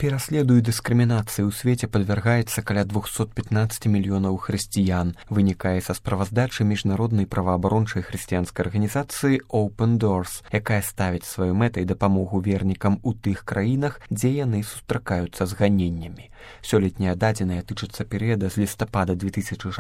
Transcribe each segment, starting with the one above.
Пераследу і дыскрымінацыі ў свеце падвяргаецца каля 215 мільёнаў хрысціян, вынікае са справаздачы міжнароднай праваабарончай хрысціянскай арганізацыі Open Doors, якая ставіць сваёй мэтай дапамогу вернікам у тых краінах, дзе яны сустракаюцца з ганеннямі. Сёлетнія дадзеныя тычацца перыяда з лістапада 2016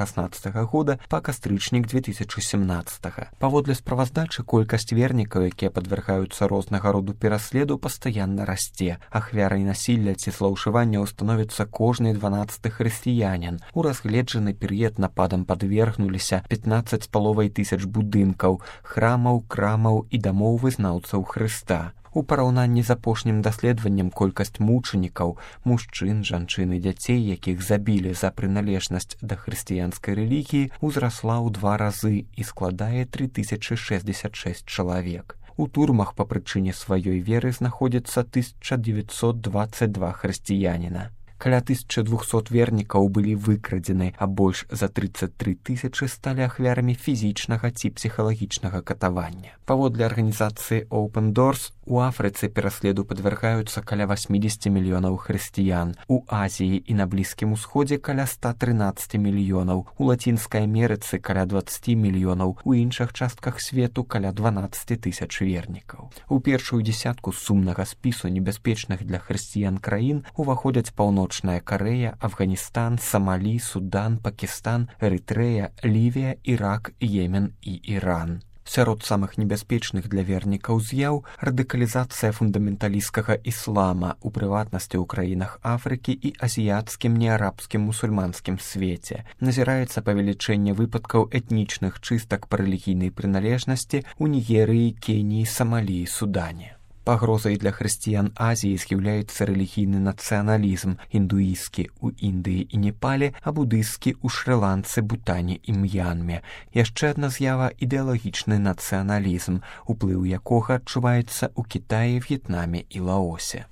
года па кастрычнік 2017. Паводле справаздачы, колькасць вернікаў, якія падвяргаюцца рознага роду пераследу, пастаянна расце. Ахвярай насілля ці злоўжыванняў становіцца кожны 12-ы хрысціянін. У разгледжаны перыяд нападам падвергнуліся 15,5 тысяч будынкаў, храмаў, крамаў і дамоў вызнаўцаў Хрыста. У параўнанні з апошнім даследаваннем колькасць мучанікаў, мужчын, жанчын і дзяцей, якіх забілі за прыналежнасць да хрысціянскай рэлігіі, узрасла ў 2 разы і складае 3066 чалавек. У турмах па прычыне сваёй веры знаходзіцца 1922 хрысціяніна. Каля 1200 вернікаў былі выкрадзены, а больш за 33 тысячы сталі ахвярамі фізічнага ці псіхалагічнага катавання. Паводле арганізацыі Open Doors, у Афрыцы пераследу падвяргаюцца каля 80 мільёнаў хрысціян, у Азіі і на Блізкім Усходзе каля 113 мільёнаў, у Лацінскай Амерыцы каля 20 мільёнаў, у іншых частках свету каля 12 тысяч вернікаў. У першую дзесятку сумнага спісу небяспечных для хрысціян краін уваходзяць Паўночная Карэя, Афганістан, Самалі, Судан, Пакістан, Эрытрэя, Лівія, Ірак, Йемен і Іран. Сярод самых небяспечных для вернікаў з'яў радыкалізацыя фундаменталісцкага іслама, у прыватнасці ў краінах Афрыкі і азіяцкім неарабскім мусульманскім свеце. Назіраецца павелічэнне выпадкаў этнічных чыстак па рэлігійнай прыналежнасці ў Нігерыі, Кеніі, Самалі і Судане. Пагрозай для хрысціян Азіі з'яўляецца рэлігійны нацыяналізм, індуісцкі ў Індыі і Непале, а будысцкі ў Шры-Ланцы, Бутане і М'янме. Яшчэ адна з'ява – ідэалагічны нацыяналізм, уплыў якога адчуваецца ў Кітаі, В'етнаме і Лаосе.